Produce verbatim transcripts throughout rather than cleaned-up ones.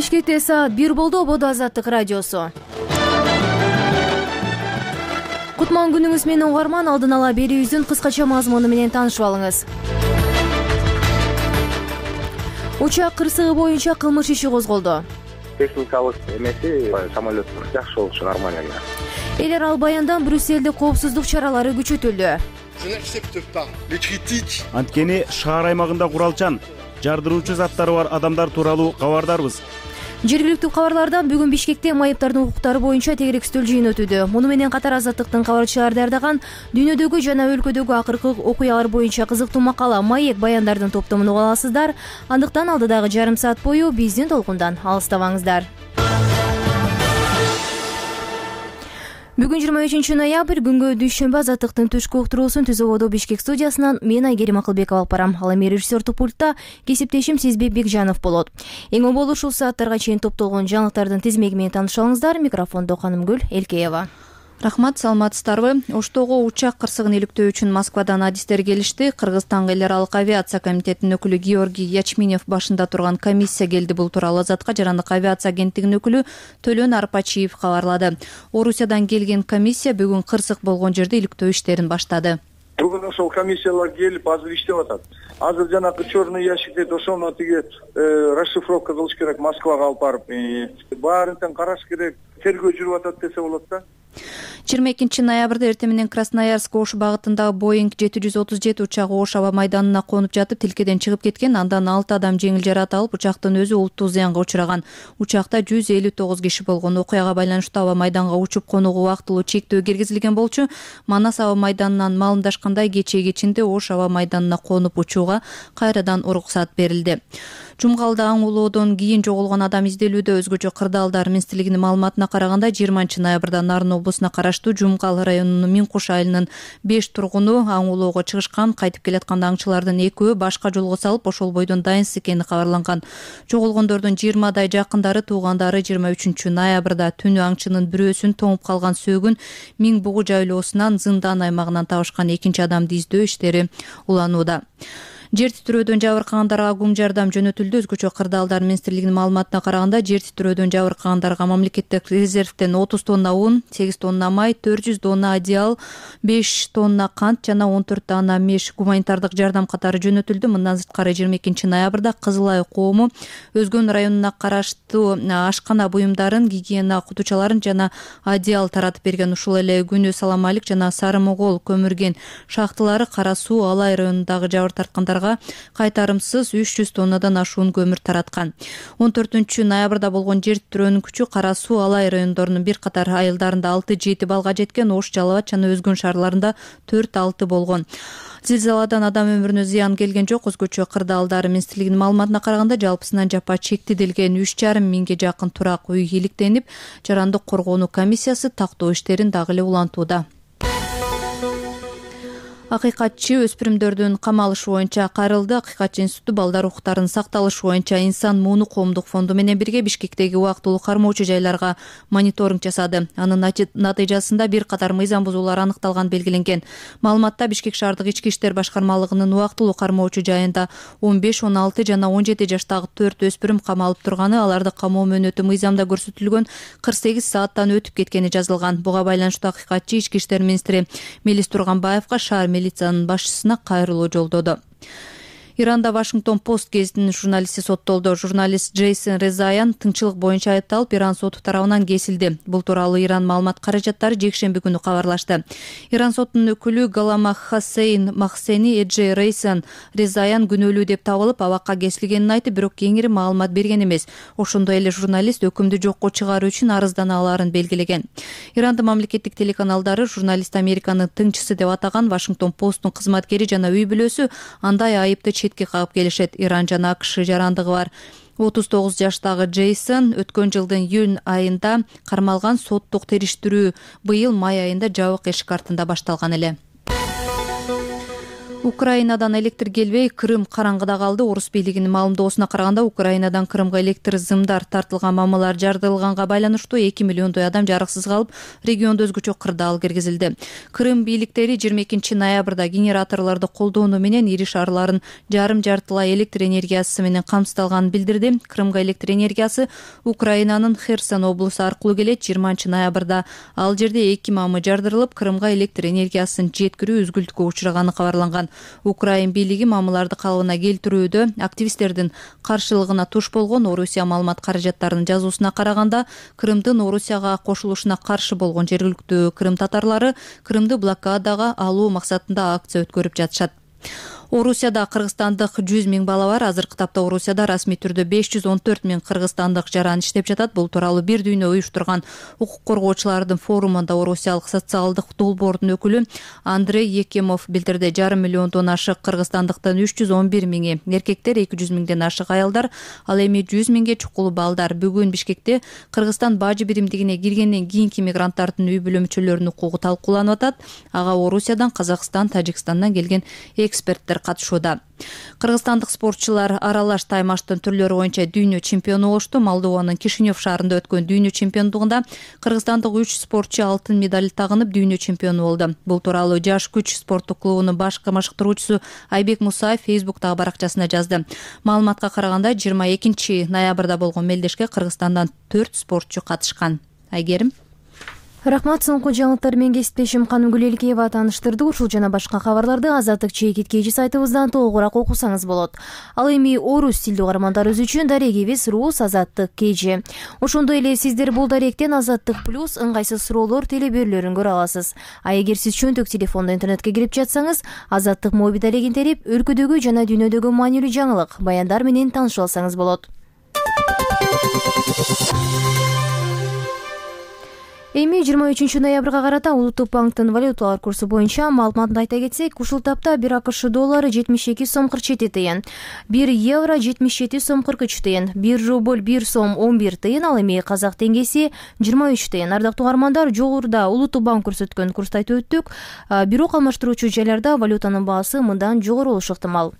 Бишкекте саат бир болду. Ободо Азаттык радиосу. Кутман күнүңүз менен угарман. Алдын ала берүүбүздүн кыскача мазмуну менен таанышып алыңыз. Учак кырсыгы боюнча кылмыш иши козголду. Техникалык эмеси самолет жакшы болчу, нормально. Элер ал баяндан Брюссельде коопсуздук чаралары күчөтүлдү. Анткени шаар аймагында куралчан, жардыруучу заттары бар адамдар тууралуу кабардарбыз. Жергиликтүү кабарлардан бүгүн Бишкекте майыптардын укуктары боюнча тегеректүү жыйын өтүүдө. Муну менен катар Азаттыктын кабарчылары даярдаган дүйнөдөгү жана өлкөдөгү акыркы окуялар боюнча кызыктуу макала, маек баяндардын топтомун уга аласыздар. Андыктан алдыдагы жарым саат бою биздин толкундан алыстабаңыздар. Бүгүн жыйырма үчүнчү ноябрь, күнгө дүйшөмбү. Азаттыктын түшкү уктуруусун Түз Ободо Бишкек студиясынан мен Айгерим Акылбекова алып барам. Ал эми режиссердик пультта кесиптешим Сезбек Бекжанов болот. Эң болор ушул сааттарга чейин топтолгон жаңылыктардын тизмеги менен таанышалыңыздар. Микрофондо Канымгүл Элкеева. Рахмат, саламатсыздарбы? Оштогу учак кырсыгын иликтөө үчүн Москвадан адистер келишти. Кыргызстанга эл аралык авиация комитетинин өкүлү Георгий Ячминев башында турган комиссия келди. Бул тууралуу Азатка Жарандык авиация агенттигинин өкүлү Төлөн Арпачиев кабарлады. Орусиядан келген комиссия бүгүн кырсык болгон жерде иликтөө иштерин баштады. Бүгүн ошол комиссиялар келип азыр иштеп атат. Азыр жанагы черный ящик дейт, ошону тиги расшифровка кылыш керек, Москвага алып барып. Баарын тең караш керек, тергөө жүрүп атат десе болот да. жыйырма экинчи ноябрда эртең менен Красноярск Ош багытындагы Боинг жети жүз отуз жети учагы Ош аба майданына конуп жатып тилкеден чыгып кеткен. Андан алты адам жеңил жаракат алып, учактын өзү улуттуу зыянга учураган. Учакта жүз элүү тогуз киши болгон. Окуяга байланыштуу аба майданга учуп конууга убактылуу чектөө киргизилген болчу. Манас аба майданынан маалымдашкандай, кечээ кечинде Ош аба майданына конуп учууга кайрадан уруксат берилди. Жумгалда аң улоодон кийин жоголгон адам изделүүдө. Өзгөчө Кырдаалдар министрлигинин маалыматына караганда жыйырманчы ноябрда Нарын облусуна караштуу Жумгал районунун Минкуш айылынын беш тургуну аң улоого чыгышкан. Кайтып келатканда аңчылардын экөө башка жолго салып, ошол бойдон дайынсыз экени кабарланган. Жоголгондордун жыйырмадай жакындары, туугандары жыйырма үчүнчү ноябрда түнү аңчынын бирөөсүн тоңуп калган сөөгүн Миң бугу жайлоосунан Зындан аймагынан табышкан. Экинчи адамды издөө иштери уланууда. Жер титирөөдөн жабыркагандарга гум жардам жөнөтүлдү. Өзгөчө Кырдаалдар министрлигинин маалыматына караганда жер титирөөдөн жабыркагандарга мамлекеттик резервден отуз тонна ун, сегиз тонна май, төрт жүз тонна одеял, беш тонна кант жана он төрт тонна меш гуманитардык жардам катары жөнөтүлдү. Мындан сырткары жыйырма экинчи ноябрда Кызыл Ай коому Өзгөн районуна караштуу ашкана буюмдарын, гигиена кутучаларын жана одеял таратып берген. Ушул эле күнү Саламалик жана Сары Могол көмүрген шахталары Кара Суу Алай районундагы жабыр тарткандар кайтарымсыз үч жүз тоннадан ашуун көмүр тараткан. он төртүнчү ноябрда болгон жер титирөөнүн күчү Кара Суу Алай райондорунун бир катар айылдарында алты жети балга жеткен. Ош, Жалал жана Өзгөн шаарларында төрт алты болгон. Зилзаладан адам өмүрүнө зыян келген жок. Өзгөчө Кырдаалдар министрлигинин маалыматына караганда жалпысынан жапа чектелген үч жарым миңге жакын турак үй иликтенип, жарандык коргонуу комиссиясы тактоо иштерин дагы эле улантууда. Акыйкатчы өспүрүмдөрдүн камалышы боюнча кайрылды. Акыйкатчы институту балдар укуктарынын сакталышы боюнча Инсан мууну коомдук фонду менен бирге Бишкектеги убактылуу кармоочу жайларга мониторинг жасады. Анын натыйжасында бир катар мыйзам бузуулар аныкталган белгиленген. Маалыматта Бишкек шаардык ички иштер башкармалыгынын убактылуу кармоочу жайында он беш, он алты жана он жети жаштагы төрт өспүрүм камалып турганы, аларды камоо мөөнөтү мыйзамда көрсөтүлгөн кырк сегиз сааттан өтүп кеткени жазылган. Буга байланыштуу акыйкатчы ички иштер министри Мелис Турганбаевга шаар милициянын башчысына кайрылуу жолдоду. Иранда Вашингтон Пост гезитинин журналисти соттолду. Журналист Джейсон Резаян тыңчылык боюнча айыпталып, Иран соту тарабынан кесилди. Бул тууралуу Иран маалымат каражаттары жекшемби күнү кабарлашты. Иран сотунун өкүлү Галама Хасейн Махсени Эджей Рейсан Резаян күнөөлүү деп табылып, абакка кесилгенин айтып, бирок кеңири маалымат берген эмес. Ошондой эле журналист өкүмдү жокко чыгаруу үчүн арыздана алаарын белгилеген. Ирандын мамлекеттик телеканалдары журналист Американын тыңчысы деп атаган Вашингтон Посттун кызматкери жана үй бүлөсү андай айыпты четке кагып келишет. Иран жана АКШ жарандыгы бар. отуз тогуз жаштагы Джейсон өткөн жылдын июнь айында кармалган. Соттук териштирүү быйыл май айында жабык эшик артында башталган эле. Украинадан электр келбей, Крым караңгыда калды. Орус бийлигинин маалымдоосуна караганда, Украинадан Крымга электр зымдар тартылган мамалар жардырылганга байланыштуу эки миллиондой адам жарыксыз калып, региондо өзгөчө кырдаал киргизилди. Крым бийликтери жыйырма экинчи ноябрда генераторлорду колдоону менен ири шаарларын жарым жартылай электр энергиясы менен камсыздалганын билдирди. Крымга электр энергиясы Украинанын Херсон облусу аркылуу келет. жыйырманчы ноябрда ал жерде эки мамы жардырылып, Крымга электр энергиясын жеткирүү үзгүлтүккө учураганы кабарланган. Украин бийлиги мамыларды калыбына келтирүүдө активисттердин каршылыгына туш болгон. Орусия маалымат каражаттарынын жазуусуна караганда, Крымдын Орусияга кошулушуна каршы болгон жергиликтүү крым татарлары Крымды блокадага алуу максатында акция өткөрүп жатышат. Орусияда кыргызстандык жүз миң бала бар. Азыркы тапта Орусияда расмий түрдө беш жүз он төрт миң кыргызстандык жаран иштеп жатат. Бул тууралуу бир дүйнө уюштурган укук коргоочулардын форумунда Орусиялык социалдык долбоордун өкүлү Андрей Екемов билдирди. Жарым миллиондон ашык кыргызстандыктын үч жүз он бир миңи эркектер, эки жүз миңден ашык аялдар, ал эми жүз миңге чукул балдар. Бүгүн Бишкекте Кыргызстан бажы биримдигине киргенден кийинки мигранттардын үй бүлө мүчөлөрүнүн укугу талкууланып атат. Ага Орусиядан, Казакстан, Тажикстандан келген эксперттер катышууда. Кыргызстандык спортчулар аралаш таймаштын түрлөрү боюнча дүйнө чемпиону болушту. Молдованын Кишинев шаарында өткөн дүйнө чемпиондугунда кыргызстандык үч спортчу алтын медаль тагынып дүйнө чемпиону болду. Бул тууралуу Жаш күч спорттук клубунун баш машыктыруучусу Айбек Мусаев Фейсбуктагы баракчасына жазды. Маалыматка караганда, жыйырма экинчи ноябрда болгон мелдешке Кыргызстандан төрт спортчу катышкан. Айгерим. Рахмат. Соңку жаңылыктар менен кесиптешим Канымгүл Элкеева тааныштырды. Ушул жана башка кабарларды Азаттык чейкит кежи сайтыбыздан толугураак окусаңыз болот. Ал эми орус тилдүү угармандарыбыз үчүн дарегибиз Рус Азаттык кежи. Ошондой эле сиздер бул даректен Азаттык плюс ыңгайсыз суроолор телеберүүлөрүн көрө аласыз. А эгер сиз чөнтөк телефондо интернетке кирип жатсаңыз, Азаттык моби дарегин терип, өлкөдөгү жана дүйнөдөгү маанилүү жаңылык, баяндар менен таанышып алсаңыз болот. Эми жыйырма үчүнчү ноябрга карата Улуттук банктын валюталар курсу боюнча маалыматын айта кетсек, ушул тапта бир АКШ доллары жетимиш эки сом кырк жети тыйын, бир евро жетимиш жети сом кырк үч тыйын, бир рубль бир сом он бир тыйын, ал эми казак теңгеси жыйырма үч тыйын. Ардактуу угармандар, жогоруда Улуттук банк көрсөткөн курсту айтып өттүк, бирок алмаштыруучу жайларда валютанын баасы мындан жогору болушу ыктымал.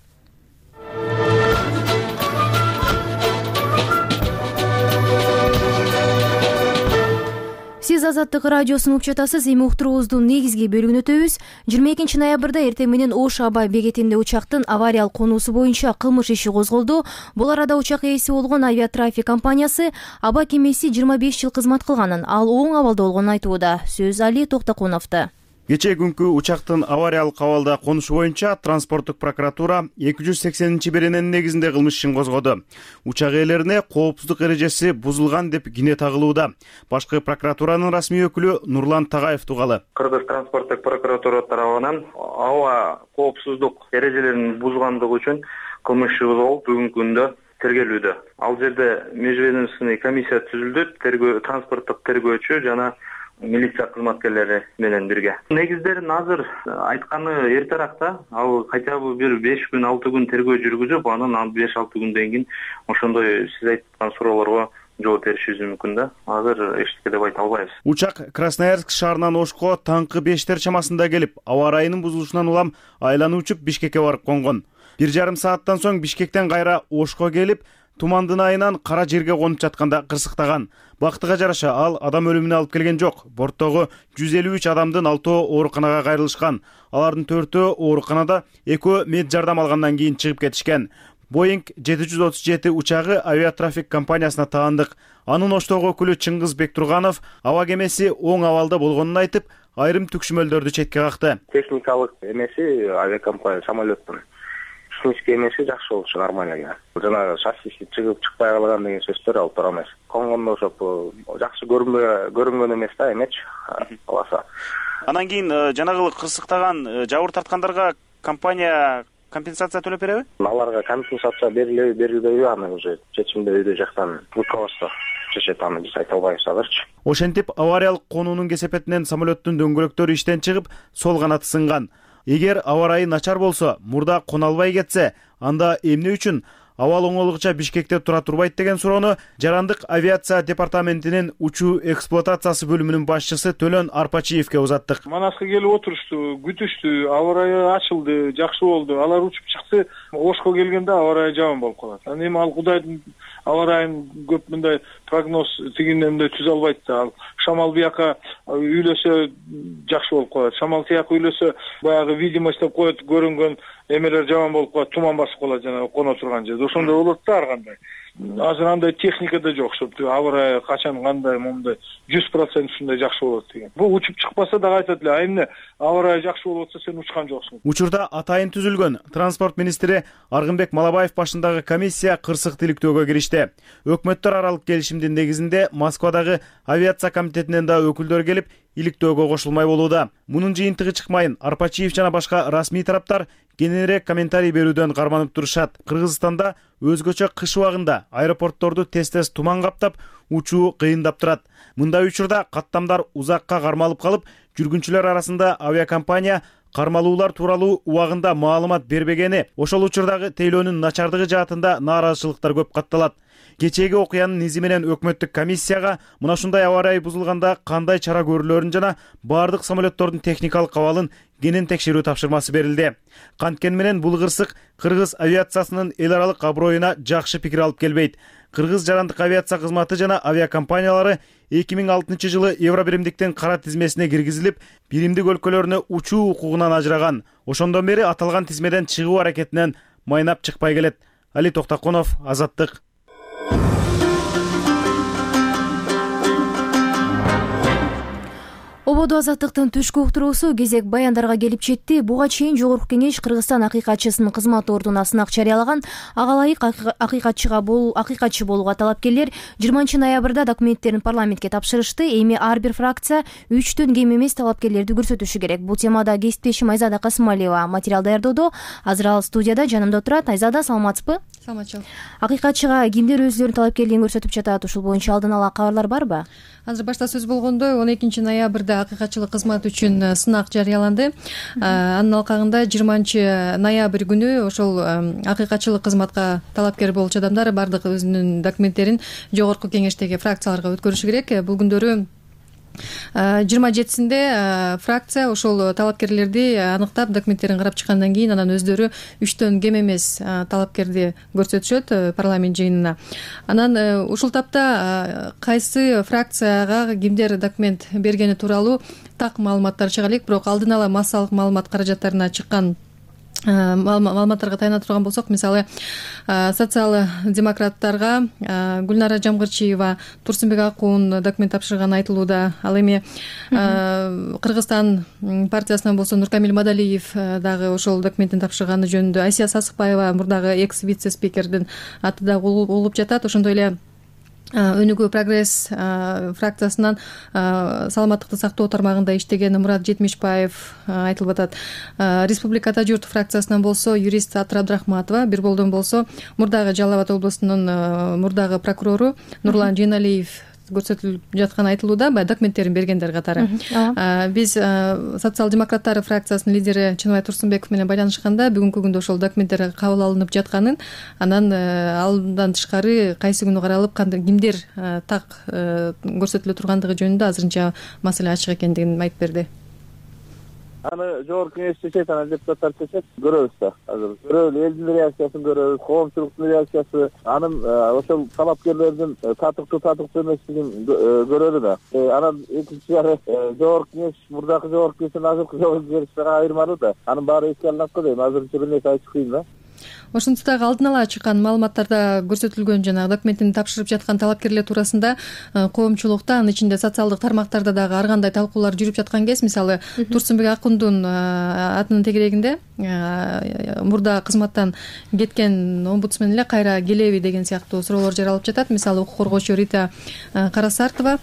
Сиз Азаттык радиосун угуп жатасыз. Эми уктуруубуздун негизги бөлүгүнө өтөбүз. жыйырма экинчи ноябрда эртең менен Ош аба бекетинде учактын авариялык конуусу боюнча кылмыш иши козголду. Бул арада учак ээси болгон авиатрафик компаниясы аба кемеси жыйырма беш жыл кызмат кылганын, ал оң абалда болгонун айтууда. Сөз Али Токтокуновдо. Кечээ күнкү учактын авариялык абалда конушу боюнча транспорттук прокуратура эки жүз сексенинчи берененин негизинде кылмыш ишин козгоду. Учак ээлерине коопсуздук эрежеси бузулган деп кине тагылууда. Башкы прокуратуранын расмий өкүлү Нурлан Тагаев тугалы. Кыргыз транспорттук прокуратура тарабынан аба коопсуздук эрежелерин бузгандыгы үчүн кылмыш иши козголуп, бүгүнкү күндө тергелүүдө. Ал жерде межведомственный комиссия түзүлдү, тергөө транспорттук тергөөчү жана милиция кызматкерлери менен бирге. Негиздерин азыр айтканы эртерээкта, ал хотя бы бир беш күн алты күн тергөө жүргүзүп, анан беш алты күндөн кийин ошондой сиз айткан суроолорго жооп беришибиз мүмкүн да. Азыр эчтеке деп айта албайбыз. Учак Красноярск шаарынан Ошко таңкы бештер чамасында келип, аба ырайынын бузулушунан улам айланып учуп Бишкекке барып конгон. Бир жарым сааттан соң Бишкектен кайра Ошко келип, тумандын айынан кара жерге конуп жатканда кырсыктаган. Бактыга жараша ал адам өлүмүнө алып келген жок. Борттогу жүз элүү үч адамдын алтоо ооруканага кайрылышкан. Алардын төртөө ооруканада, экөө мед жардам алгандан кийин чыгып кетишкен. Боинг жети жүз отуз жети учагы авиатрафик компаниясына таандык. Анын Оштогу өкүлү Чыңгыз Бектурганов аба кемеси оң абалда болгонун айтып, айрым түкшүмөлдөрдү четке какты. Техникалык эмеси авиакомпания самолеттин технический эмеси жакшы болчу, нормально экен. Жана шассиси чыгып чыкпай калган деген сөздөр алып туура эмес. Конгондо ошоп жакшы көрүнбөй көрүнгөн эмес да, эмечи аласа. Анан кийин жанагы кырсыктаган жабыр тарткандарга компания компенсация төлөп береби? Аларга компенсация берилеби, берилбеби, аны уже чечимди өйдө жактан руководство чечет, аны биз айта албайбыз азырчы. Ошентип авариялык конуунун кесепетинен самолеттун дөңгөлөктөрү иштен чыгып, сол канаты сынган. Эгер аба ырайы начар болсо, мурда кона албай кетсе, анда эмне үчүн абал оңолукча Бишкекте тура турбайт деген суроону Жарандык авиация департаментинин учуу эксплуатациясы бөлүмүнүн башчысы Төлөн Арпачиевке узаттык. Манаска келип отурушту, күтүштү, аба ырайы ачылды, жакшы болду. Алар учуп чыкты. Ошко келгенде аба ырайы жаман болуп калат. Анан эми ал Кудайдын аба ырайын көп мындай прогноз тигиндей мындай түзө албайт да. Ал шамал бияка үйлөсө жакшы болуп калат. Шамал тияка үйлөсө баягы видимость деп коет, көрүнгөн эмелер жаман болуп калат, туман басып калат жана коно турган жерде. Ошондой болот да ар кандай. Азыр андай техника да жок, чтобы аба ырайы качан кандай момундай жүз процент ушундай жакшы болот деген. Бул учуп чыкпаса дагы айтат эле, а эмне аба ырайы жакшы болуп атса сен учкан жоксуң. Учурда атайын түзүлгөн транспорт министри Аргынбек Малабаев башындагы комиссия кырсык тиликтөөгө киришти. Өкмөттөр аралык келишимдин негизинде Москвадагы авиация комитетинен да өкүлдөр келип иликтөөгө кошулмай болууда. Мунун жыйынтыгы чыкмайын Арпачиев жана башка расмий тараптар кененирээк комментарий берүүдөн карманып турушат. Кыргызстанда өзгөчө кыш убагында аэропортторду тез-тез туман каптап, учуу кыйындап турат. Мындай учурда каттамдар узакка кармалып калып, жүргүнчүлөр арасында авиакомпания кармалуулар тууралуу убагында маалымат бербегени, ошол учурдагы тейлөөнүн начардыгы жаатында нааразычылыктар көп катталат. Кечээги окуянын изи менен өкмөттүк комиссияга мына ушундай аба ырайы бузулганда кандай чара көрүлөрүн жана бардык самолеттордун техникалык абалын кенен текшерүү тапшырмасы берилди. Канткени менен бул кырсык кыргыз авиациясынын эл аралык аброюна жакшы пикир алып келбейт. Кыргыз жарандык авиация кызматы жана авиакомпаниялары эки миң алтынчы жылы Евробиримдиктин кара тизмесине киргизилип, биримдик өлкөлөрүнө учуу укугунан ажыраган. Ошондон бери аталган тизмеден чыгуу аракетинен майнап чыкпай келет. Али Токтоконов, Азаттык. Ободо Азаттыктын түшкү уктуруусу кезек баяндарга келип жетти. Буга чейин Жогорку Кеңеш Кыргызстан акыйкатчысынын кызматы ордуна сынак жарыялаган. Ага ылайык акыйкатчыга болуу, акыйкатчы болууга талапкерлер жыйырманчы ноябрда документтерин парламентке тапшырышты. Эми ар бир фракция үчтөн кем эмес талапкерлерди көрсөтүшү керек. Бул темада кесиптешим Айзада Касымалиева материал даярдоодо. Азыр ал студияда жанымда турат. Айзада, саламатсызбы? Саламатчыл. Акыйкатчыга кимдер өзүлөрүнүн талапкерлигин көрсөтүп жатат? Ушул боюнча алдын ала кабарлар барбы? Азыр башта сөз болгондой, он экинчи ноябрда акыйкатчылык кызмат үчүн сынак жарыяланды. Анын алкагында жыйырманчы ноябрь күнү ошол акыйкатчылык кызматка талапкер болчу адамдар бардык өзүнүн документтерин Жогорку Кеңештеги фракцияларга өткөрүшү керек. Бул күндөрү жыйырма жетисинде фракция ошол талапкерлерди аныктап, документтерин карап чыккандан кийин анан өздөрү үчтөн кем эмес талапкерди көрсөтүшөт парламент жыйынына. Анан ушул тапта кайсы фракцияга кимдер документ бергени тууралуу так маалыматтар чыга элек, бирок алдын ала массалык маалымат каражаттарына чыккан маалыматтарга таяна турган болсок, мисалы социал-демократтарга Гүлнара Жамгырчиева, Турсунбек Акуун документ тапшырганы айтылууда. Ал эми Кыргызстан партиясынан болсо Нуркамил Мадалиев дагы ошол документин тапшырганы жөнүндө, Айсия Сасыкбаева, мурдагы экс вице-спикердин аты дагы угулуп жатат. Ошондой эле Өнүгүү прогресс фракциясынан саламаттыкты сактоо тармагында иштеген Мурат Жетимишбаев айтылып атат. Республикада журт фракциясынан болсо юрист Атыр Абдрахматова, бир болдон болсо мурдагы Жалал Абад облусунун мурдагы прокурору Нурлан Жейналиев көрсөтүлүп жатканы айтылууда, баягы документтерин бергендер катары. Биз социал-демократтар фракциясынын лидери Чыныбай Турсунбеков менен байланышканда бүгүнкү күндө ошол документтер кабыл алынып жатканын, анан алдан тышкары кайсы күнү каралып, кандай кимдер так көрсөтүлө тургандыгы жөнүндө азырынча маселе ачык экендигин айтып берди. Аны Жогорку Кеңеш чечет, анан депутаттар чечет, көрөбүз да. Азыр көрөлү, элдин реакциясын көрөбүз, коомчулуктун реакциясы, анын ошол талапкерлердин татыктуу татыктуу эместигин көрөлү да. Анан экинчи жагы Жогорку Кеңеш мурдакы Жогорку Кеңештин азыркы Жогорку Кеңешине айырмалуу да. Анын баары эске алынат го дейм. Азырынча бир нерсе айтыш кыйын да. Ошентип дагы алдын ала чыккан маалыматтарда көрсөтүлгөн жанагы документин тапшырып жаткан талапкерлер туурасында коомчулукта, анын ичинде социалдык тармактарда дагы ар кандай талкуулар жүрүп жаткан кез, мисалы Турсунбек Акундун атынын тегерегинде мурда кызматтан кеткен омбудсмен эле кайра келеби деген сыяктуу суроолор жаралып жатат. Мисалы укук коргоочу Рита Карасартова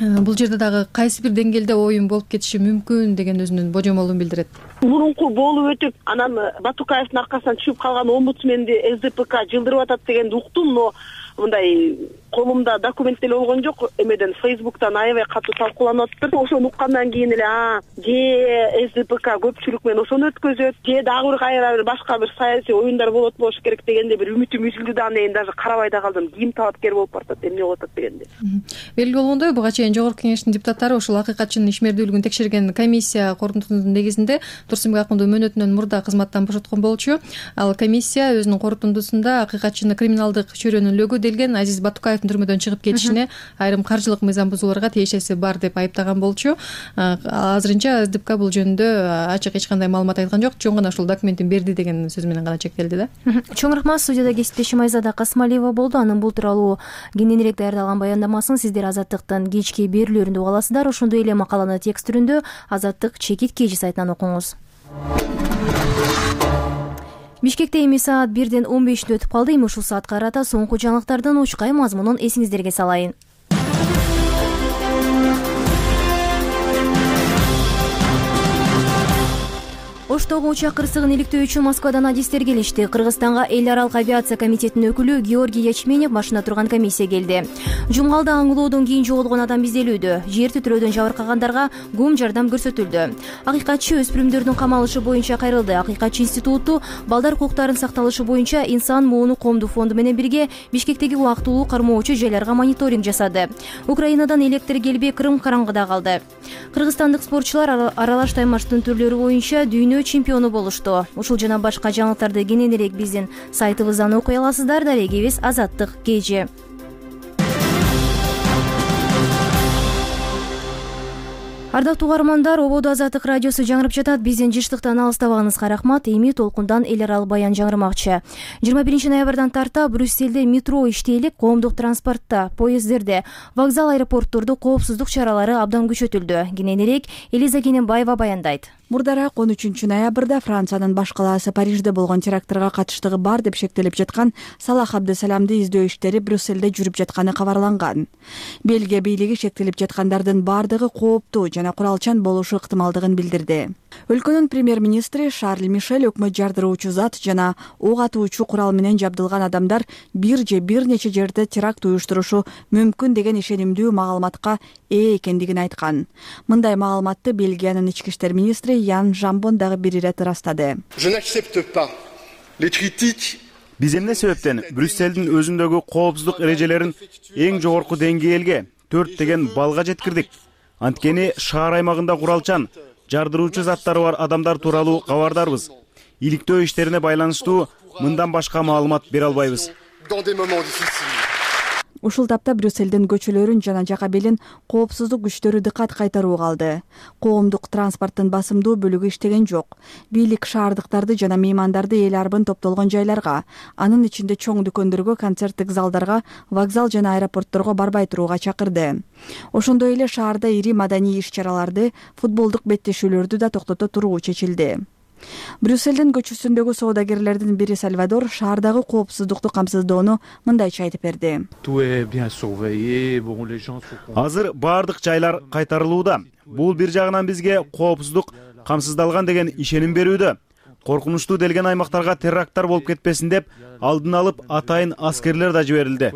бул жерде дагы кайсы бир деңгээлде оюн болуп кетиши мүмкүн деген өзүнүн божомолун билдирет. мурунку болуп өтүп анан Батукаевдин аркасынан түшүп калган омбудсменди эс ди пэ ка жылдырып атат дегенди уктум, но мындай колумда документ деле болгон жок. Эмеден Фейсбуктан аябай катуу талкууланып атыптыр. Ошону уккандан кийин эле а же эс ди пэ ка көпчүлүк менен ошону өткөзөт, же дагы бир кайра бир башка бир саясий оюндар болот болуш керек дегенде бир үмүтүм үзүлдү да, анан даже карабай да калдым. Ким талапкер болуп баратат, эмне болуп атат дегенде. Белгилүү болгондой, буга чейин Жогорку Кеңештин депутаттары ушул акыйкатчынын ишмердүүлүгүн текшерген комиссия корутундусунун негизинде Турсунбек Акмулду мөөнөтүнөн мурда кызматтан бошоткон болчу. Ал комиссия өзүнүн корутундусунда акыйкатчыны криминалдык чөйрөнүүлөөгө делген Азиз Батукаевдин түрмөдөн чыгып кетишине айрым каржылык мыйзам бузууларга тиешеси бар деп айыптаган болчу. Азырынча эс ди пэ ка бул жөнүндө ачык эч кандай маалымат айткан жок, чоң гана ушул документин берди деген сөз менен гана чектелди да. Чоң рахмат. Студияда кесиптешим Айзада Касмалиева болду. Анын бул тууралуу кененирээк даярдалган баяндамасын сиздер Азаттыктын кечки берүүлөрүндө уга аласыздар. Ошондой эле макаланы текст түрүндө Азаттык чекит кежи сайтынан окуңуз. Бишкекте эми саат бирден он беште өтүп калды. Эми ушул саатка карата соңку жаңылыктардын учкай мазмунун эсиңиздерге салайын. Оштогу учак кырсыгын иликтөө үчүн Москвадан адистер келишти. Кыргызстанга эл аралык авиация комитетинин өкүлү Георгий Ячменев башына турган комиссия келди. Жумгалда аңлоодон кийин жоголгон адам изделүүдө. Жер титирөөдөн жабыркагандарга гум жардам көрсөтүлдү. Акыйкатчы өспүрүмдөрдүн камалышы боюнча кайрылды. Акыйкатчы институту балдар укуктарынын сакталышы боюнча Инсан мууну коомдук фонду менен бирге Бишкектеги убактылуу кармоочу жайларга мониторинг жасады. Украинадан электр келбей Крым караңгыда калды. Кыргызстандык спортчулар аралаш таймаштын түрлөрү боюнча дүйнө чемпиону болушту. Ушул жана башка жаңылыктарды кененирээк биздин сайтыбыздан окуй аласыздар. Дарегибиз Азаттык кежи. Ардактуу угармандар, ободо Азаттык радиосу жаңырып жатат. Биздин жыштыктан алыстабагыңызга рахмат. Эми толкундан эл аралык баян жаңырмакчы. жыйырма биринчи ноябрдан тарта Брюсселде метро иштейлик, коомдук транспортто, поезддерде, вокзал, аэропорттордо коопсуздук чаралары абдан күчөтүлдү. Кененирээк Элиза Кененбаева баяндайт. Мурдараак он үчүнчү ноябрда Франциянын баш калаасы Парижде болгон терактырга катыштыгы бар деп шектелип жаткан Салах Абдесаламды издөө иштери Брюсселде жүрүп жатканы кабарланган. Бельгия бийлиги шектелип жаткандардын бардыгы кооптуу жана куралчан болушу ыктымалдыгын билдирди. Өлкөнүн премьер-министри Шарль Мишель өкмөт жардыруучу зат жана ок атуучу курал менен жабдылган адамдар бир же бир нече жерде теракт уюштурушу мүмкүн деген ишенимдүү маалыматка ээ экендигин айткан. Мындай маалыматты Бельгиянын ички иштер министри Ян Жамбон дагы бир ирет ырастады. Биз эмне себептен Брюсселдин өзүндөгү коопсуздук эрежелерин эң жогорку деңгээлге төрт деген балга жеткирдик. Анткени шаар аймагында куралчан, жардыруучу заттары бар адамдар тууралуу кабардарбыз. Иликтөө иштерине байланыштуу мындан башка маалымат бере албайбыз. Ушул тапта Брюсселдин көчөлөрүн жана жака белин коопсуздук күчтөрү дыккат кайтарууга алды. Коомдук транспорттун басымдуу бөлүгү иштеген жок. Бийлик шаардыктарды жана меймандарды эл арбын топтолгон жайларга, анын ичинде чоң дүкөндөргө, концерттик залдарга, вокзал жана аэропортторго барбай турууга чакырды. Ошондой эле шаарда ири маданий иш-чараларды, футболдук беттешүүлөрдү да токтото туруу чечилди. Брюсселдин көчөсүндөгү соодагерлердин бири Сальвадор шаардагы коопсуздукту камсыздоону мындайча айтып берди. Азыр баардык жайлар кайтарылууда. Бул бир жагынан бизге коопсуздук камсыздалган деген ишеним берүүдө. Коркунучтуу делген аймактарга теракттар болуп кетпесин деп алдын алып атайын аскерлер да жиберилди.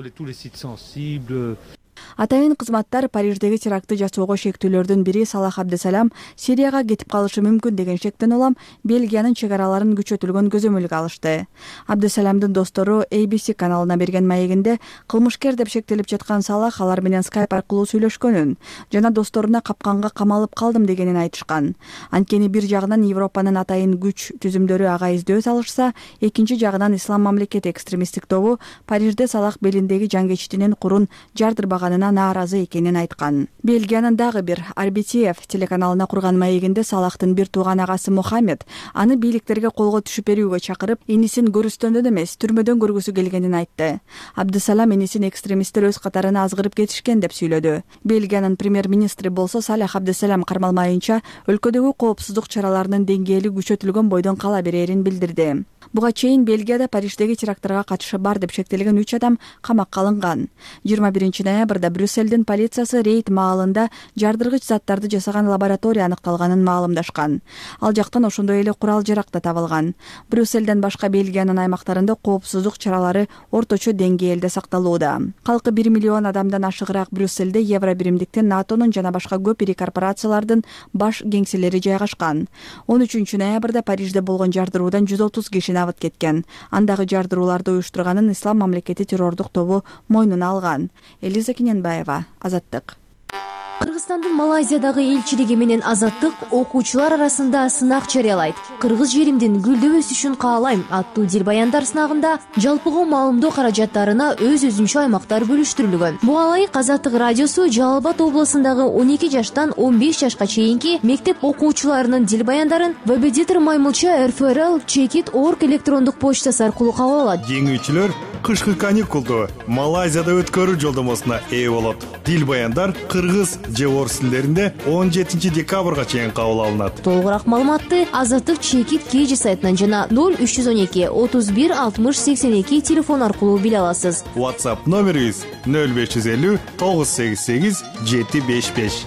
Атайын кызматтар Париждеги терактты жасоого шектүүлөрдүн бири Салах Абдесалам Сирияга кетип калышы мүмкүн деген шектен улам Бельгиянын чек араларын күчөтүлгөн көзөмөлгө алышты. Абдесаламдын достору A B C каналына берген маегинде кылмышкер деп шектелип жаткан Салах алар менен скайп аркылуу сүйлөшкөнүн жана досторуна капканга камалып калдым дегенин айтышкан. Анткени бир жагынан Европанын атайын күч түзүмдөрү ага издөө салышса, экинчи жагынан Ислам мамлекети экстремисттик тобу Парижде Салах белиндеги жангечтинин курун жардырбаганына нааразы экенин айткан. Бельгиянын дагы бир R B T F телеканалына курган маегинде Салахтын бир тууган агасы Мухаммед аны бийликтерге колго түшүп берүүгө чакырып, инисин көрүстөндөн эмес, түрмөдөн көргүсү келгенин айтты. Абдесалам инисин экстремисттер өз катарына азгырып кетишкен деп сүйлөдү. Бельгиянын премьер-министри болсо Салах Абдесалам кармалмайынча өлкөдөгү коопсуздук чараларынын деңгээли күчөтүлгөн бойдон кала берерин билдирди. Буга чейин Бельгияда Париждеги теракттарга катышы бар деп шектелген үч адам камакка алынган. жыйырма биринчи ноябрда учурда Брюссельдин полициясы рейд маалында жардыргыч заттарды жасаган лаборатория аныкталганын маалымдашкан. Ал жактан ошондой эле курал жарак да табылган. Брюссельден башка Бельгиянын аймактарында коопсуздук чаралары орточо деңгээлде сакталууда. Калкы бир миллион адамдан ашыгыраак Брюссельде Евро биримдиктин, НАТОнун жана башка көп ири корпорациялардын баш кеңселери жайгашкан. он үчүнчү ноябрда Парижде болгон жардыруудан жүз отуз киши набыт кеткен. Андагы жардырууларды уюштурганын Ислам мамлекети террордук тобу мойнуна алган. Элиза Кененбаева, Азаттык. Кыргызстандын Малайзиядагы элчилиги менен Азаттык окуучулар арасында сынак жарыялайт. Кыргыз жеримдин гүлдөп өсүшүн каалайм аттуу дил баяндар сынагында жалпыга маалымдоо каражаттарына өз өзүнчө аймактар бөлүштүрүлгөн. Буга ылайык Азаттык радиосу Жалал Абад облусундагы он эки жаштан он беш жашка чейинки мектеп окуучуларынын дил баяндарын Вебедитор Маймылча эр эф эр эл чекит орг электрондук почтасы аркылуу кабыл алат. Жеңүүчүлөр кышкы каникулду Малайзияда өткөрүү жолдомосуна ээ болот. Дил баяндар кыргыз же орус тилдеринде он жетинчи декабрга чейин кабыл алынат. Толугураак маалыматты Азаттык чекит кж сайтынан жана ноль үч жүз он эки отуз бир алтымыш сексен эки телефон аркылуу биле аласыз. WhatsApp номерибиз ноль беш жүз элүү тогуз сегиз сегиз жети беш беш.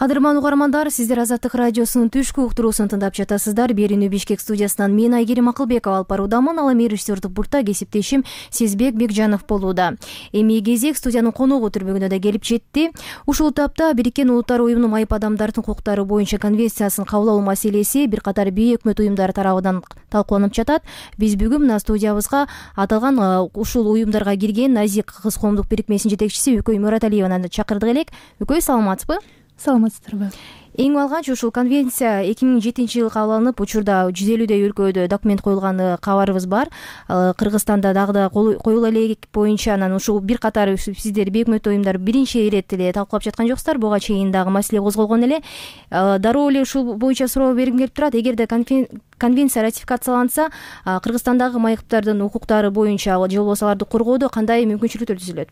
Кадырман угармандар, сиздер Азаттык радиосунун түшкү уктуруусун тыңдап жатасыздар. Берүүнү Бишкек студиясынан мен Айгерим Акылбекова алып баруудамын. Ал эми режиссердик буртта кесиптешим Сезбек Бекжанов болууда. Эми кезек студиянын коногу түрбөгүнө да келип жетти. Ушул тапта Бириккен Улуттар уюмунун майып адамдардын укуктары боюнча конвенциясын кабыл алуу маселеси бир катар бейөкмөт уюмдар тарабынан талкууланып жатат. Биз бүгүн мына студиябызга аталган ушул уюмдарга кирген Назик кыз коомдук бирикмесинин жетекчиси Үкөй Мураталиеваны чакырдык элек. Үкөй, саламатсызбы? Саламатсыздарбы? Эң алгач ушул конвенция эки миң жетинчи жылы кабыл алынып, учурда жүз элүүдөй өлкөдө документ коюлганы кабарыбыз бар. Кыргызстанда дагы да коюла элек боюнча анан ушул бир катар сиздер бейөкмөт уюмдар биринчи ирет эле талкуулап жаткан жоксуздар. Буга чейин дагы маселе козголгон эле. Дароо эле ушул боюнча суроо бергим келип турат. Эгерде конвенция ратификацияланса, Кыргызстандагы майыптардын укуктары боюнча же болбосо аларды коргоодо кандай мүмкүнчүлүктөр түзүлөт?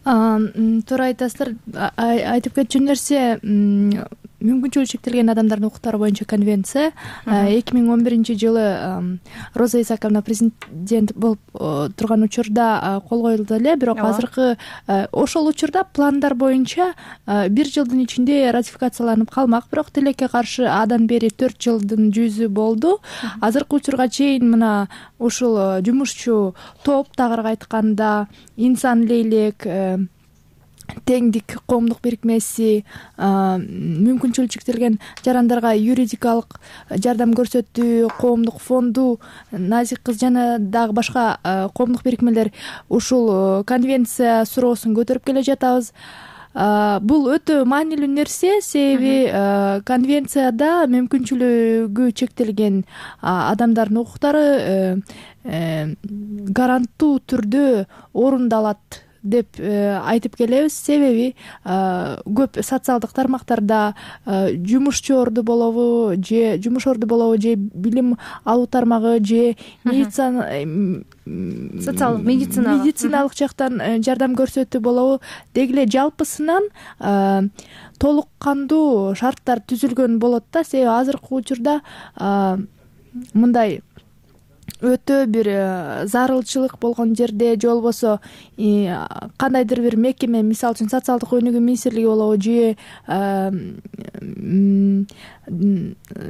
Туура айтасыздар. Айтып кетчү нерсе, мүмкүнчүлүгү чектелген адамдардын укуктары боюнча конвенция эки миң он биринчи жылы Роза Исаковна президент болуп турган учурда кол коюлду эле, бирок азыркы ошол учурда пландар боюнча бир жылдын ичинде ратификацияланып калмак, бирок тилекке каршы адан бери төрт жылдын жүзү болду. Азыркы учурга чейин мына ушул жумушчу топ, тагыраак айтканда инсан лейлек, теңдик коомдук бирикмеси, мүмкүнчүлүгү чектелген жарандарга юридикалык жардам көрсөтүү коомдук фонду, Назик кыз жана дагы башка коомдук бирикмелер ушул конвенция суроосун көтөрүп келе жатабыз. Бул өтө маанилүү нерсе, себеби конвенцияда мүмкүнчүлүгү чектелген адамдардын укуктары гаранттуу түрдө орундалат деп айтып келебиз. Себеби көп социалдык тармактарда жумушчу орду болобу же жумуш орду болобу же билим алуу тармагы же медицина социалдык медицина медициналык жактан жардам көрсөтүү болобу, деги эле жалпысынан толук кандуу шарттар түзүлгөн болот да. Себеби азыркы учурда мындай өтө бир зарылчылык болгон жерде же болбосо кандайдыр бир мекеме, мисалы үчүн социалдык өнүгүү министрлиги болобу же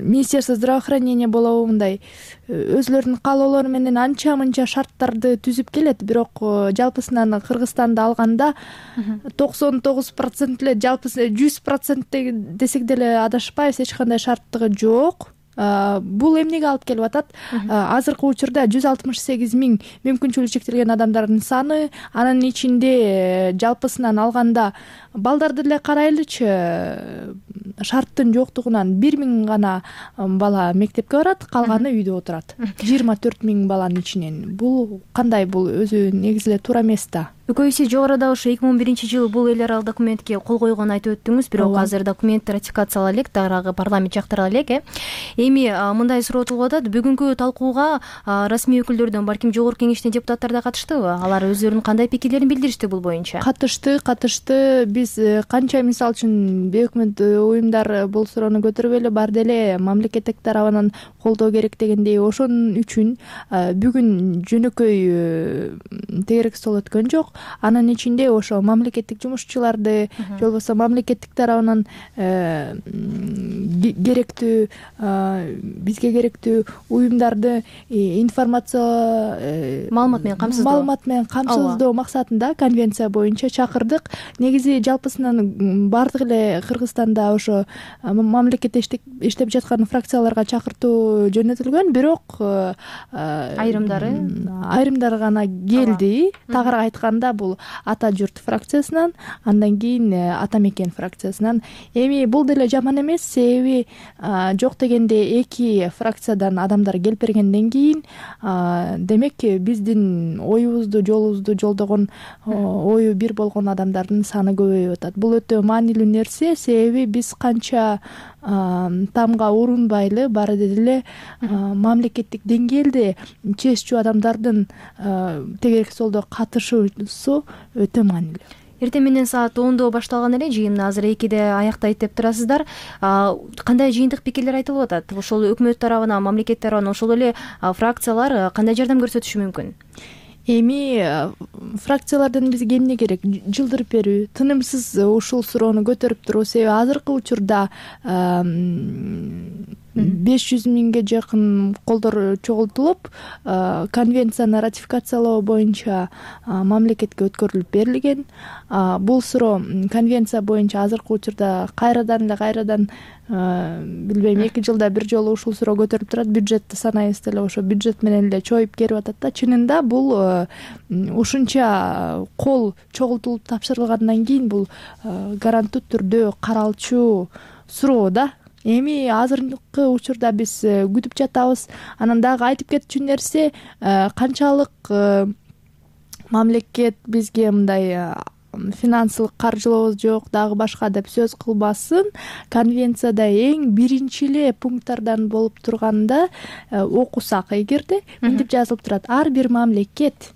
Министерство здравоохранения болобу, мындай өзүлөрүнүн каалоолору менен анча мынча шарттарды түзүп келет, бирок жалпысынан Кыргызстанды алганда токсон тогуз процент эле, жалпысы жүз процент десек деле адашпайбыз, эч кандай шарттыгы жок. Бул эмнеге алып келип атат? Азыркы учурда жүз алтымыш сегиз миң мүмкүнчүлүгү чектелген адамдардын саны, анын ичинде жалпысынан алганда балдарды эле карайлычы, шарттын жоктугунан бир миң гана бала мектепке барат, калганы үйдө отурат. жыйырма төрт миң баланын ичинен. Бул кандай? Бул өзү негизи эле туура эмес да. Үкөйсү жогоруда ошо эки миң он биринчи жылы бул эл аралык документке кол койгонун айтып өттүңүз, бирок азыр документ ратификациялала элек, дагы парламент жактырала элек. э Эми мындай суроотулуп атат, бүгүнкү талкууга расмий өкүлдөрдөн, балким жогорку кеңештин депутаттары да катыштыбы? Алар өздөрүнүн кандай пикирлерин билдиришти бул боюнча? Катышты, катышты. Биз канча, мисалы үчүн, бейөкмөт уюмдар бул суроону көтөрүп эле бар деле, мамлекеттик тарабынан колдоо керек дегендей, ошонун үчүн бүгүн жөнөкөй тегерек стол өткөн жок. анын ичинде ошо мамлекеттик жумушчуларды же болбосо мамлекеттик тарабынан керектүү бизге керектүү уюмдарды информация маалымат менен камсыздоо маалымат менен камсыздоо максатында конвенция боюнча чакырдык. Негизи жалпысынан баардык эле Кыргызстанда ошо мамлекетте иштеп жаткан фракцияларга чакыртуу жөнөтүлгөн, бирок айрымдары айрымдары гана келди. Тагыраак айтканда бул Ата журт фракциясынан, андан кийин Ата мекен фракциясынан. Эми бул деле жаман эмес, себеби жок дегенде эки фракциядан адамдар келип бергенден кийин демек биздин оюбузду жолубузду жолдогон, ою бир болгон адамдардын саны көбөйүп атат. Бул өтө маанилүү нерсе, себеби биз канча тамга урунбайлы баары деле мамлекеттик деңгээлде чечүү адамдардын тегерек солдо катышуусу өтө маанилүү. Эртең менен саат ондо башталган эле жыйын, азыр экиде аяктайт деп турасыздар. Кандай жыйынтык пикирлер айтылып атат? Ошол өкмөт тарабынан, мамлекет тарабынан ошол эле фракциялар кандай жардам көрсөтүшү мүмкүн? Эми фракциялардан бизге эмне керек? Жылдырып берүү, тынымсыз ушул суроону көтөрүп туруу. Себеби азыркы учурда беш жүз миңге жакын колдор чогултулуп, конвенцияны ратификациялоо боюнча мамлекетке өткөрүлүп берилген. Бул суроо конвенция боюнча азыркы учурда кайрадан эле кайрадан билбейм, эки жылда бир жолу ушул суроо көтөрүлүп турат. Бюджетти санайбыз деле, ошо бюджет менен эле чоюп келип атат да. Чынында бул ушунча кол чогултулуп тапшырылгандан кийин бул гаранттуу түрдө каралчу суроо да. Эми азыркы учурда биз күтүп жатабыз. Анан дагы айтып кетчү нерсе, канчалык мамлекет бизге мындай финансылык каржылообуз жок, дагы башка деп сөз кылбасын, конвенцияда эң биринчи эле пункттардан болуп турганда окусак эгерде мынтип жазылып турат: ар бир мамлекет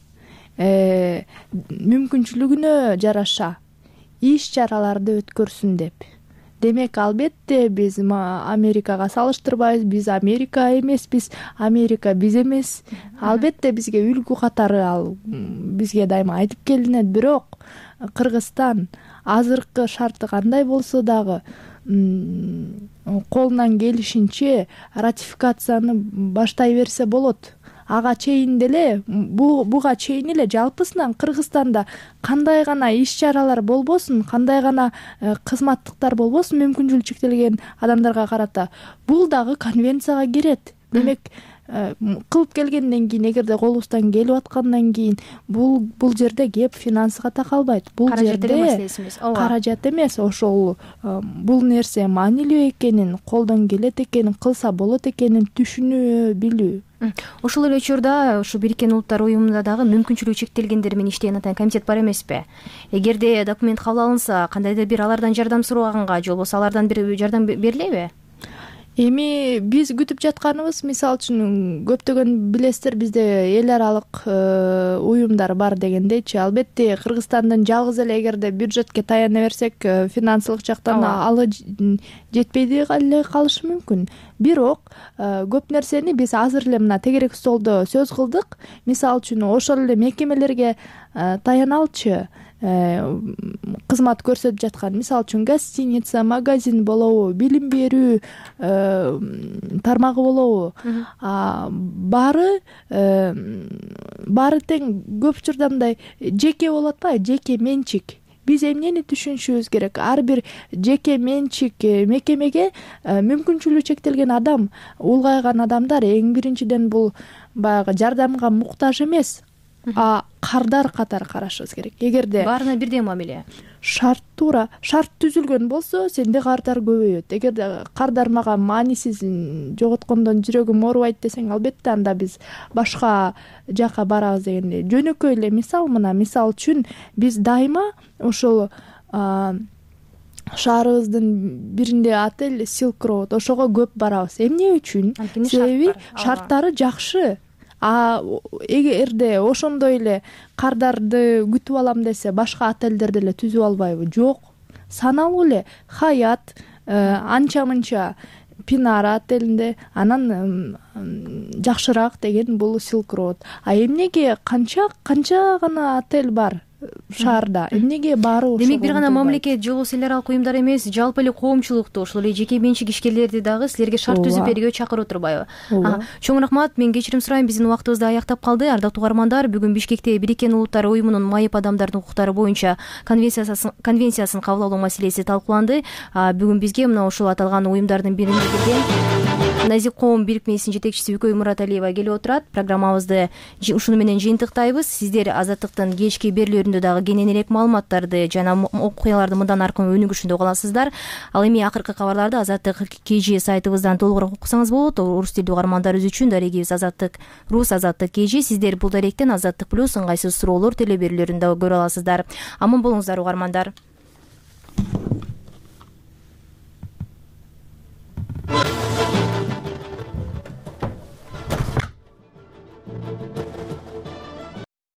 мүмкүнчүлүгүнө жараша иш чараларды өткөрсүн деп. Демек, албетте биз Америкага салыштырбайбыз, биз Америка эмес, биз Америка биз эмес. Албетте бизге үлгү катары ал бизге дайыма айтып келинет, бирок Кыргызстан азыркы шарты кандай болсо дагы колунан келишинче ратификацияны баштай берсе болот. Ага чейин деле, буга чейин эле жалпысынан Кыргызстанда кандай гана иш чаралар болбосун, кандай гана кызматтыктар болбосун мүмкүнчүлүгү чектелген адамдарга карата, бул дагы конвенцияга кирет. Демек, кылып келгенден кийин, эгерде колубуздан келип аткандан кийин, бул бул жерде кеп финансыга такалбайт. Бул жерде каражат эмес, ошол бул нерсе маанилүү экенин, колдон келет экенин, кылса болот экенин түшүнүү билүү. Ошол эле учурда ушу Бириккен Улуттар уюмунда дагы мүмкүнчүлүгү чектелгендер менен иштеген атайын комитет бар эмеспи? Эгерде документ кабыл алынса, кандайдыр бир алардан жардам сураганга, же болбосо алардан бир жардам берилеби? Эми биз күтүп жатканыбыз, мисалы үчүн көптөгөн билесиздер, бизде эл аралык уюмдар бар дегендейчи. Албетте Кыргызстандын жалгыз эле эгерде бюджетке таяна берсек, финансылык жактан алы жетпей эле калышы мүмкүн. Бирок көп нерсени биз азыр эле мына тегерек столдо сөз кылдык. Мисалы үчүн ошол эле мекемелерге таяналчы кызмат көрсөтүп жаткан, мисалы үчүн гостиница, магазин болобу, билим берүү тармагы болобу, баары баары тең көп учурда мындай жеке болуп атпайбы, жеке менчик. Биз эмнени түшүнүшүбүз керек? Ар бир жеке менчик мекемеге мүмкүнчүлүгү чектелген адам, улгайган адамдар эң биринчиден бул баягы жардамга муктаж эмес, а кардар катары карашыбыз керек. Эгерде баарына бирдей мамиле, шарт туура шарт түзүлгөн болсо, сенде кардар көбөйөт. Эгерде кардар мага маанисиз жоготкондон жүрөгүм оорубайт десең, албетте анда биз башка жака барабыз дегенде. Жөнөкөй эле мисал, мына мисал үчүн биз дайыма ошол шаарыбыздын биринде отель Silk Road, ошого көп барабыз. Эмне үчүн? Себеби шарттары жакшы. А эгерде ошондой эле кардарды күтүп алам десе, башка отельдер деле түзүп албайбы? Жок. Саналуу эле Хаят, анча-мынча Пинара отелинде, анан жакшыраак деген бул Silk Road. А эмнеге канча канча гана отель бар? шаарда эмнеге баары ошого? Демек бир гана мамлекет же болбосо эл аралык уюмдар эмес, жалпы эле коомчулукту, ошол эле жеке менчик ишкерлерди дагы силерге шарт түзүп берүүгө чакырып турбайбы? Чоң рахмат. Мен кечирим сурайм, биздин убактыбыз да аяктап калды. Ардактуу угармандар, бүгүн Бишкекте Бириккен Улуттар уюмунун майып адамдардын укуктары боюнча конвенциясын кабыл алуу маселеси талкууланды. Бүгүн бизге мына ушул аталган уюмдардын биринде келген Назик коом бирикмесинин жетекчиси Үкөй Мураталиева келип отурат. Программабызды ушуну менен жыйынтыктайбыз. Сиздер Азаттыктын кечки берүүлөрүндө дагы кененирээк маалыматтарды жана окуяларды мындан аркы өнүгүшүндө уга аласыздар. Ал эми акыркы кабарларды Азаттык кж сайтыбыздан толугураак окусаңыз болот. Орус тилдүү угармандарыбыз үчүн дарегибиз Азаттык Рус Азаттык кж. Сиздер бул даректен Азаттык плюс ыңгайсыз суроолор телеберүүлөрүндө көрө аласыздар. Аман болуңуздар угармандар.